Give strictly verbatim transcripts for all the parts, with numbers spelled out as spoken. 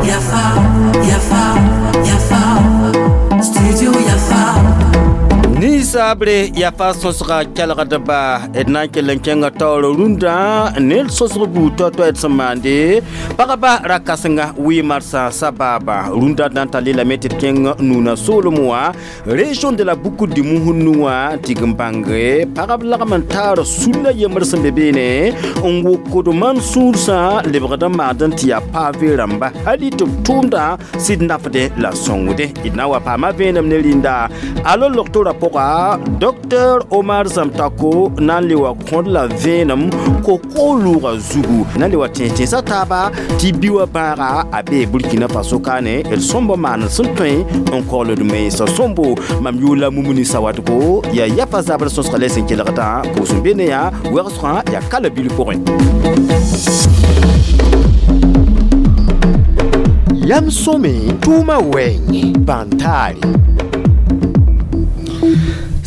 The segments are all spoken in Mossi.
Yafa, Yafa, Yafa, Studio Yafa. Ninsabre yafa sõsga kelgdba d na n kell n kẽnga taoor rũndã ned sõsg buud tao-tao d sẽn maande pagba ra-kãsenga wɩ-marsã sabaaba rũndã d na n tar lelame tɩ d kẽng nuuna soolem wã région de la Boucle du Mouhoun wã tɩg n bãnge pagb lagm n taar sulla yembr sẽn be beene n wokd man sũursã lebgd n maand n tɩ yaa pavé rãmba hali tɩ b tʋʋmdã sɩd nafdẽ la sõngdẽ d na n wa paama vẽenem ne rĩnda alo logtorã pʋga Docteur Omar Zamtako na n le wa kõd la vẽenem ko-koolʋʋga zugu na n le wa tẽes-tẽesã taaba tɩ bi wã bãaga a bee Burkina Faso kaane d sõmb maan sẽn tõe n kogld mensã sõmbo mam yʋʋla Mumuni Sawadgo yaa yafa zabr sõsga la sẽn kelgdã pʋʋs n be ne yã wɛgsgã yaa kala bil pʋgẽ. Yam sõme tʋʋmã wɛɛngẽ bãn-taare.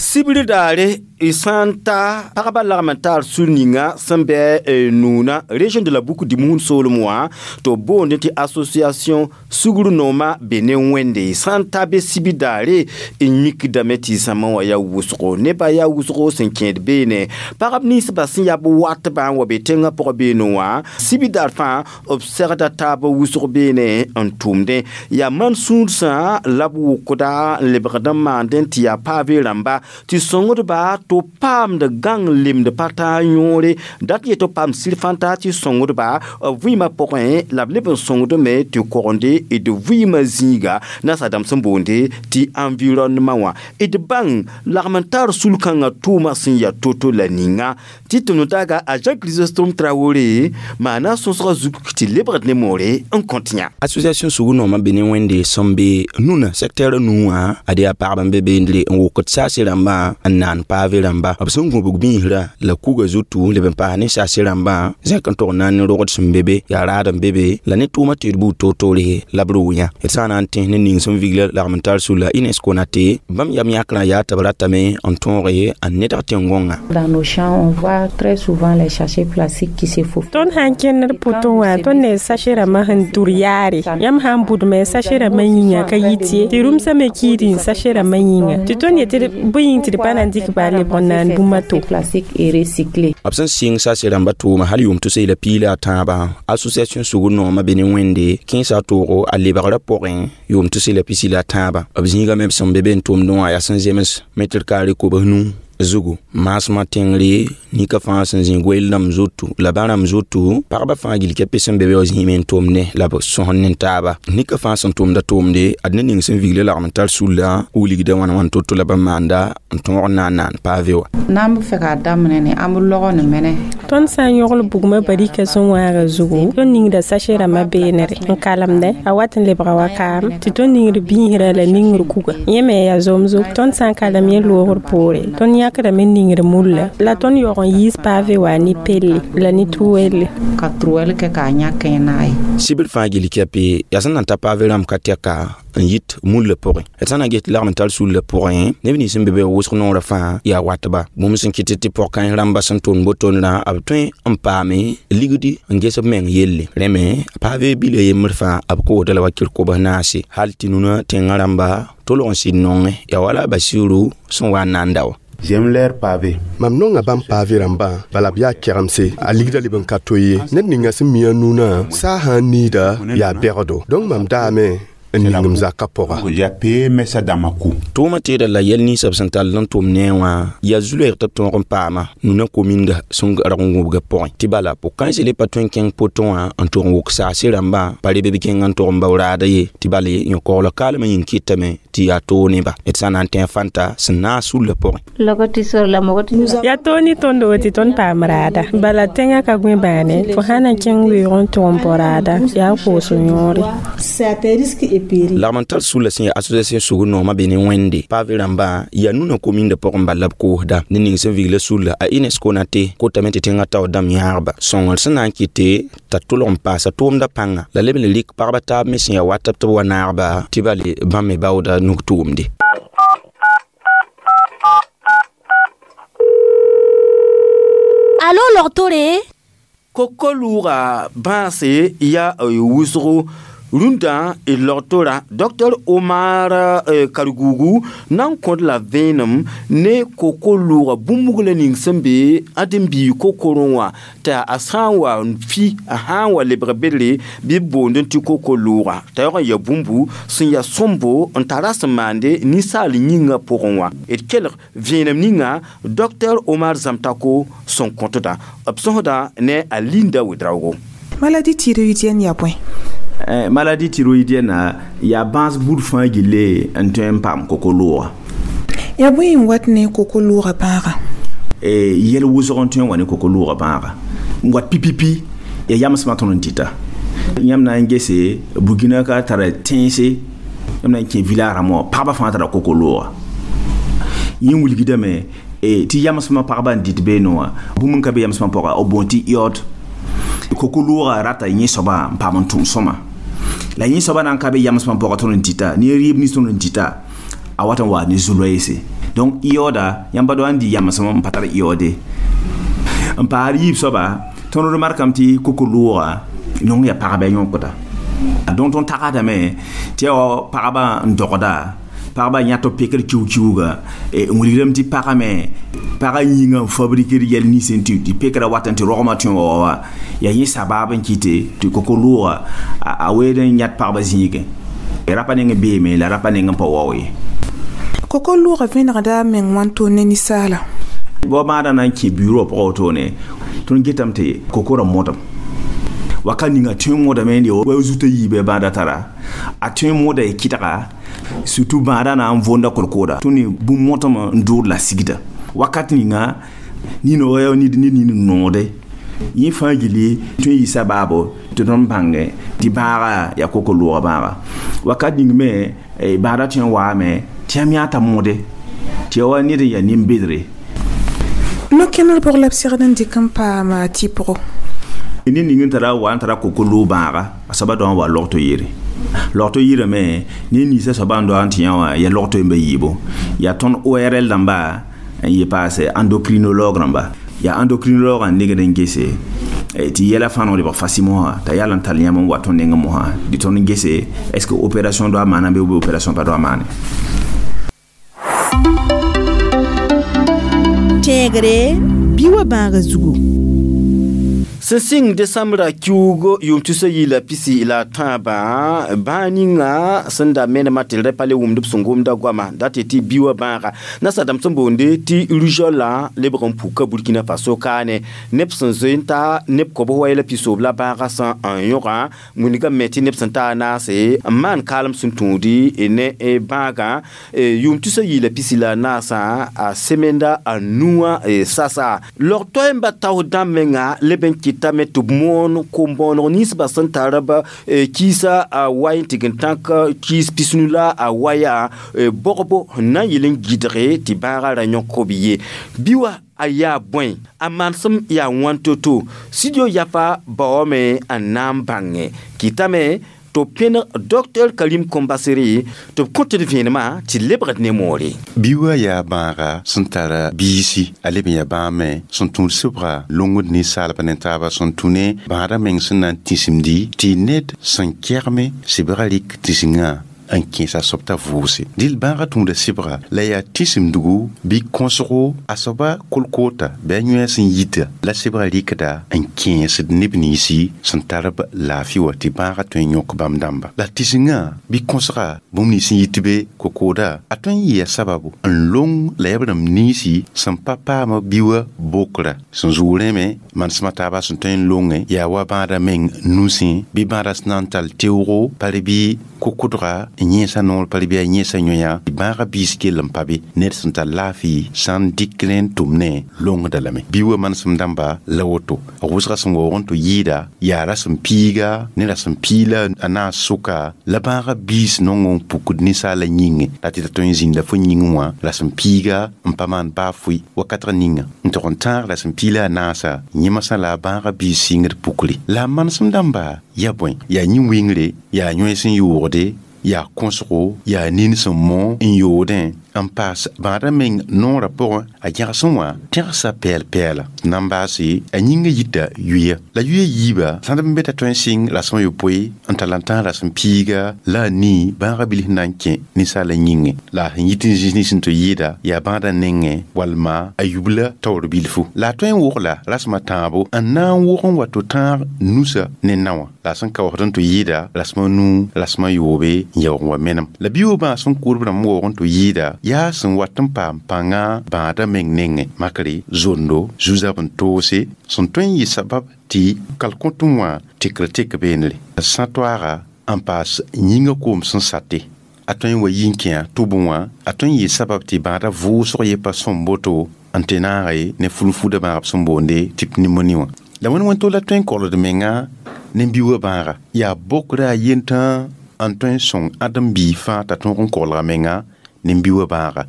Sibr daare y sã n ta pagba lagm n taar sũ ninga sẽn bɩ nuuna région de la Boucle du Mouhoun soolem wã tɩ b boondẽ tɩ association sugr nooma be ne wẽnde sã n ta be sibr daare n mikdame tɩ zãma wã yaa wʋsgo nebã yaa wʋsgo sẽn kẽed beene pagb ninsbã sẽn yaa b watbã n wa be tẽngã pʋgã beene wã sibr daar fãa b segda taab wʋsg beene n tʋʋmdẽ yaa man sũursã la b wʋkda n lebgd n maandẽ tɩ yaa pavé rãmba tɩ sõngdba tɩ paamd gãng lemd pa taa yõore dat yetɩ paam sir fãnta tɩ sõngdba b vɩɩmã pʋgẽ la b leb n sõngdme tɩ kogende d vɩɩmã zĩiga nasadãmb sẽn boonde tɩ environnement wã d bãng lagm n tar sul-kãngã tʋʋmã sẽn yaa to-to la ninga tɩ tɩ no-taaga a Jean Chrysostome Traoré maana sõsgã zug tɩ lebgd ne moore n kõt yã. Association sugu nooma be ne wẽnde sẽn be nuna secteur nuu wã ad yaa pagb n be beendre n wokd saase rãmbã n naan pavé rãmba b sẽn gũbg biisrã la kuga zutu leb n paas ne saase rãmbã zẽk n tog n na n ne rogd sẽn be be yaa raad n be be la ne tʋʋmã tɩ d buud toor-toore la b roo yã d sã n na n tẽs ne ning sẽn vigla lagm n tar sulla UNESCO na tɩ bãmb yam yãkrã yaa tɩ b ratame n tõoge n nedg tẽn-gõngã. Dans nos champs, on voit très souvent les sachets plastiques qui se faufilent. Tõnd sã n kẽnd pʋtẽ wã tõnd ne sachet rãmbã sẽn dur yaare yãmb sã n budme sachet rãmbã yĩnga ka yit ye tɩ rũmsã me kiid n sachet rãmbã yĩnga tɩ tõnd yetɩ bõe yĩng tɩ d pa na n dɩk baa lebg n naan bũmb a to. Plastique et recyclé. B sẽn sɩng sase rãmba tʋʋma hal yʋʋm tʋsee la piila a tãabã association sugr noomã be ne wẽnde kẽesa a toogo a lebgrã pʋgẽ yʋʋm tʋsee la pisi la a tãabã b zĩigame b sẽn be be n tʋmdẽ wã yaa sẽn zems mɛtr kaare kobs nu zugu maasmã tẽngre nika fãa sẽn zĩ goeel rãmb zoto la bã rãmb zoto pagba fãa gill kɛpɩ sẽn be be wa zĩime n tʋmdẽ la b sõsd ne taaba nika fãa sẽn tʋmda tʋʋmde ad ne ning sẽn vigla lagm n tar sulla wilgda wãna wãn to-to la bãmb maanda n tõog n na n naan pavé wã. N'an bɛ fɛ k'a daminɛ ni an bɛ lɔgɔ nin mɛnɛ. Tõnd sã n yõgl bugmã barika sẽn wãaga zugu tõnd ningda sachet rãmbã beenere n kalemdẽ a wat n lebga wa kaam tɩ tõnd ningd biisrã la ningr kuga yẽ me yaa zomzo tõnd sã n kalem yẽ loogr poore tõnd yãkdame n ningd mulla la tõnd yaoog n yiis pavé wã ne pelle la ne truelle. Ka truelle kɛ k'a ɲa kẽ n'a ye. Sibr fãa gill kɛpɩ yaa sẽn na n ta pavé rãmb ka tɛka n yit mulla pʋgẽ d sã na n get lagm n tar sulla pʋgẽ neb nins sẽn be be wʋsg noorã fãa yaa watba bũmb sẽn kɩt tɩ pɔg-kãens rãmba sẽn tʋmd botondrã b tõe n paame ligdi n ges b meng yelle rẽ me pavé bila yembr fãa b koosda la wakɩr kobs naase hal tɩ nuna tẽngã rãmba tolg n sɩd nongẽ yaa wala Basiru sẽn wa n na n da wã. J'aime leur pavé. Mam nonga bãmb pavé rãmbã bala b yaa kɛgemse a ligda leb n ka to ye ned ninga sẽn mi a nunã saa sã n niida yaa bɛgdo donc mam daame n ningem zakã pʋga. J'ai payé mais ça dans ma cou. Tʋʋmã teeda la yɛl ninsã b sẽn tall n tʋm ne wã yaa zu-loɛɛg tɩ b tõog n paama nuna kominda sẽn rag n gũbga pʋgẽ tɩ bala pʋg-kãensã le pa tõe n kẽng potẽ wã n tʋg n wʋk saase rãmbã pa reb b kẽng n tʋg n bao raada ye tɩ bala yõ-koglg kaalmã yĩng kɩtame tɩ yaa toog neba d sã n na n tẽ fãnta sẽn naas sullã pʋgẽ. Yaa toog ne tõndo tɩ tõnd paam raada bala tẽngã ka gõe bãane fo sã na n kẽng weoog n tʋg n bao raada yaa koos yõore. Lagm n tar sulla sẽn yaa association sugr noomã be ne wẽnde pavé rãmbã yaa nuna kominda pʋgẽ bala b koosda ne ning sẽn vigla sulla a UNESCO na tɩ kotame tɩ tẽngã taoor dãmb yãagba sõngr sẽn na n kɩte t'a tʋlg n paasa tʋʋmdã pãnga la leb n rɩk pagba taab me sẽn yaa wat tɩ b wa naagba tɩ bale bãmb me baooda nug tʋʋmde. Alo logtore. Koko-lʋʋga bãase yaa wʋsgo rũndã d logtora Docteur Omar Kargugu na n kõd la vẽenem ne koko-lʋʋga bũmb-buglã ning sẽn be ãdem-biig kokorẽ wã t'a a sã n wa n fi a sã n wa lebg bedre bɩ b boond tɩ koko-lʋʋga t'a yaoog n ya bũmbu sẽn ya sõmbo n tara sẽn maande ninsaal yĩngã pʋgẽ wã d kelg vẽenem ninga Docteur Omar Zamtako sẽn kõtda b sõsda ne a Linda Wedraogo. Maladie thyroïdienne yaa bõe? Eh, maladie thyroïdienne yaa bãas buud fãa gille n tõe n paam koko-loogã. Yaa bõe n wat ne koko-loogã bãaga? Eh, yɛl wʋsg n tõe n wa ne koko-loogã bãaga n wat pipipi ya yamsmã tõnd n dɩta yãmb na n gese Burkina ka tara tẽense yãmb na n kẽ village rãmbã wã pagba fãa tara koko-loogã yẽ wilgdame tɩ yamsmã pagba n dɩt beene wã bũmb n ka be yamsmã pʋga b boond tɩ iode koko-loogã rata yẽ soaba n paam n tʋm sõma la yẽ soaba na n ka be yamsmã pʋga tõnd n dɩta ne rɩɩb nins tõnd n dɩta a wat n waa ne zu-loeese donc ioda yãmb pa n dɩ yamsem n pa tar iode n paar yiib soaba tõnd remarkame tɩ koko-loogã nong ya pagba yõkda donc tõnd tagsdame tɩ yaa wa pagba n dogda pagba yãt b pekr kiu-kiuga n wilgdame tɩ pagame pagã yĩngã n fabrikr yɛl nins n tɩ tɩ pekrã wat n tɩ rogmã tõe wa wa yaa yẽ sabab n kɩte tɩ koko-loogã a weed n yãt pagba zĩigẽ rapa neng beeme la rapa neng n pa wao ye. Koko-loogã vẽnegda a meng wãnto ne ninsaala? Bao bãadã na n kẽ bureau pʋgã wotone tõnd getame tɩ kokora modem wakat ninga tõe n modame n wa zutã yiibã bãadã tara a tõe n moda y kɩdga surtout bãadã na n vonda kolkooda tõnd ne bũmb motame n dʋʋd la sigda wakat ninga nina wa yaa nid ned nin n noode yẽ fãa gilli tõe n yɩ sabaabo tɩ tõnd bãnge tɩ bãaga yaa koko-loogã bãaga wakat ning me bãadã tõe n waame tɩ yãmb yãa t'a mode tɩ ya wa ned n yaa nin-bedre. No-kẽner bʋg la b segd n dɩk n paam tɩpgo? Ned ning n tara wa n tara koko-loog bãaga a soaba daoã wa logto yere logto yirame ne ninsã soaba n doa n tɩ yã wã yaa logto yemba yiibo yaa tõnd O R L dãmba n yɩ paase endocrinologue rãmba yaa endocrinologue n negd n gese tɩ yɛla fãa no lebg facilement wã t'a yal n tall yãmb n wa tõnd nengẽ mosã tɩ tõnd n gese est ce que opération doa maana bɩ ou opération pa doa maane. Tẽegre bɩ wa bãaga zugu. Sẽn sɩng desãmbra kiuug yʋʋm tusa yɩɩla pisi la tãabã bãag ninga sẽn da menemã tɩ d ra pa le wʋmd b sẽn gomda goama da tɩ tɩ bi wã bãaga nasadãmb sẽn boonde tɩ rougeole lebg n puka Burkina Faso kaane neb sẽn zoe n ta neb kobs wa yɛla pisoob la bãagã sã n yõga wilgame tɩ neb sẽn ta a naase n maan kaalem sẽn tũudi ne bãagã yʋʋm tusa yɩɩla pisi la naasã a semenda a nuwã sasa log toɛɛmba taoos dãmb menga leb n kɩta me tɩ b moon kom-bõoneg ninsbã sẽn tar b kiisa a wa n tɩg n tãk kiis pisnu la a waya bogbo n na n yɩl n gɩdge tɩ bãagã ra yõk b ye bɩ wa a yaa bõe a manesem yaa wãn to-to studio Yafa baoome n na n bãnge kɩtame tɩ b pẽneg Docteur Karim Kombasere tɩ b kõ tɩ d vẽenemã tɩ lebgd ne moore. Bi wã yaa bãaga sẽn tara biisi a leb n yaa bãag me sẽn tũud sɩbga longd ninsaalba ne taaba sẽn tũ ne bãadã meng sẽn na n tĩsimdi tɩ ned sẽn kɛgme sɩbgã rɩk tĩsingã n kẽesa soab t'a vʋʋse dɩl bãagã tũuda sɩbga la yaa tĩsimdgu bɩ kõsgo a soaba kolkoota bɩ a yõe sẽn yita la sɩbgã rɩkda n kẽesd neb ninsi sẽn tar b laafɩ wã tɩ bãagã tõe n yõk bãmb dãmba la tĩsingã bɩ kõsga bũmb nins sẽn yit be kokooda a tõe n yɩa sababu n long la yaa b rãmb ninsi sẽn pa paam bi wã bokra sẽn zʋʋg rẽme manesmã taaba sẽn tõe n longe yaa wa bãadã meng nusẽ bɩ bãadã sẽn na n tall teoogo pare bɩ kokʋdga n yẽesa noor pare bɩ a yẽesa yõya bãagã biis kell n pa be ned sẽn tar laafɩ sã n dɩk rẽ n tʋm ne longda lame bi wã manesem dãmba la woto a wʋsga sẽn waoog n tɩ yɩɩda yaa rasem piiga ne rasem piila a naas sʋka la bãagã biis nong n pukd ninsaala yĩngẽ la tɩ t'a tõe n zĩnda fo yĩngẽ wã rasem piiga n pa maan baa fʋɩ wakatg ninga n tog n tãag rasem piila a naasa yẽmsã la a bãagã biis sɩngd pukre la a manesem dãmba yaa bõe yaa yĩn-wingre yaa yõe sẽn yoogde yaa kõsgo yaa nin sẽn mõ n yoodẽ N paas bãadã meng noorã pʋgẽ a gẽgsẽ wã tẽgsa pɛɛl-pɛɛla na n baase a yĩngã yita yuya la yuya yiiba sãd n be t'a tõe n sɩng rasem a yopoe n tall n tãs rasem piiga la a nii bãagã bilf na n kẽ ninsaalã yĩngẽ la a sẽn yit n zĩis nins n tɩ yɩɩda yaa bãadã nengẽ walma a yubla taoor bilfu la a tõe n wogla rasem a tãabo n na n wog n wa to tãag nusa ne naowã la a sẽn kaoosd n tɩ yɩɩda rasem a nuu rasem a yoobe n yaoog n wa menem la bi-yoobã sẽn kʋʋdb rãmb waoog n tɩ yɩɩda yaa sẽn wat n paam pãnga bãadã meng nengẽ makre zondo zu-zab n toose sẽn tõe n yɩ sabab tɩ kalkõtẽ wã tekr tek beenre sã toaaga n paas yĩngã koom sẽn sate a tõe n wa yi n kẽa tʋbẽ wã a tõe n yɩ sabab tɩ bãadã vʋʋsg ye pa sõm boto n tɩ naage ne fulfuda bãagb sẽn boonde tɩ pneumoni wã la wẽnd wẽn la tõe n kolgd menga ne biuugã bãaga yaa bokra a yentã n tõe n sõng ãdem-biig fãa t'a tõog n kolga menga ne biuugã bãaga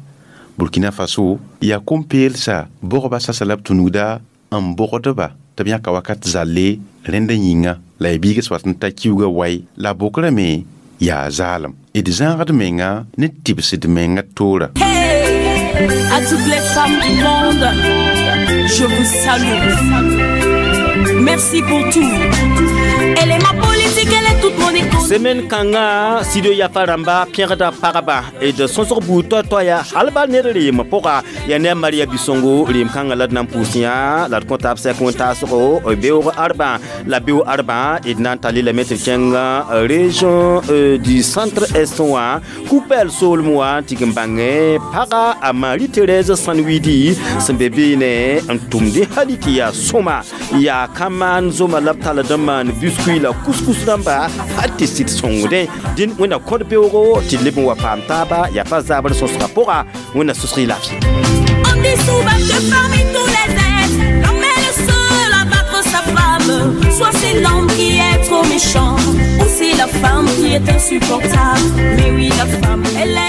Burkina Faso yaa kom-peelsa bogba sasa la b tũnugda n bogdba tɩ b yãka wakat zalle rẽndã yĩnga la y biigs wat n ta kiuugã wai la bokrame me yaa zaalem d zãagd menga ne tɩbsd menga toora. Hey, à toutes les femmes du monde, je vous salue. Merci pour tout. Elle est ma politique, elle est toute mon économie. Semaine kãngã studio Yafa rãmba pẽgda pagba d sõsg buud toay-toaya hal bal ned reem pʋga yaa ne a Maria Bisongo reem kãngã la d na n pʋʋs yã la d kõ taab sɛk wẽn-taasgo beoog arbã la beoog arbã d na n tall lame tɩ kẽng région du centre est wã Koupel soolem wã tɩ n bãngẽ paga a Marie Thérèse Sanwidi sẽn be beene n tʋmdẽ hali tɩ yaa sõma yaa ka maan zoma la b tall n maan biscuit la couscous rãmba hal tɩ sɩd sõngdẽ dĩn wẽnna kõd beoogo tɩ leb n wa paam taaba yaa pa zabr sõsgã pʋga wẽnna susg y laafɩ. On dit souvent que parmi tous les êtres, l'homme est le seul à battre sa femme. Soit c'est l'homme qui est trop méchant, ou c'est la femme qui est insupportable. Mais oui, la femme, elle est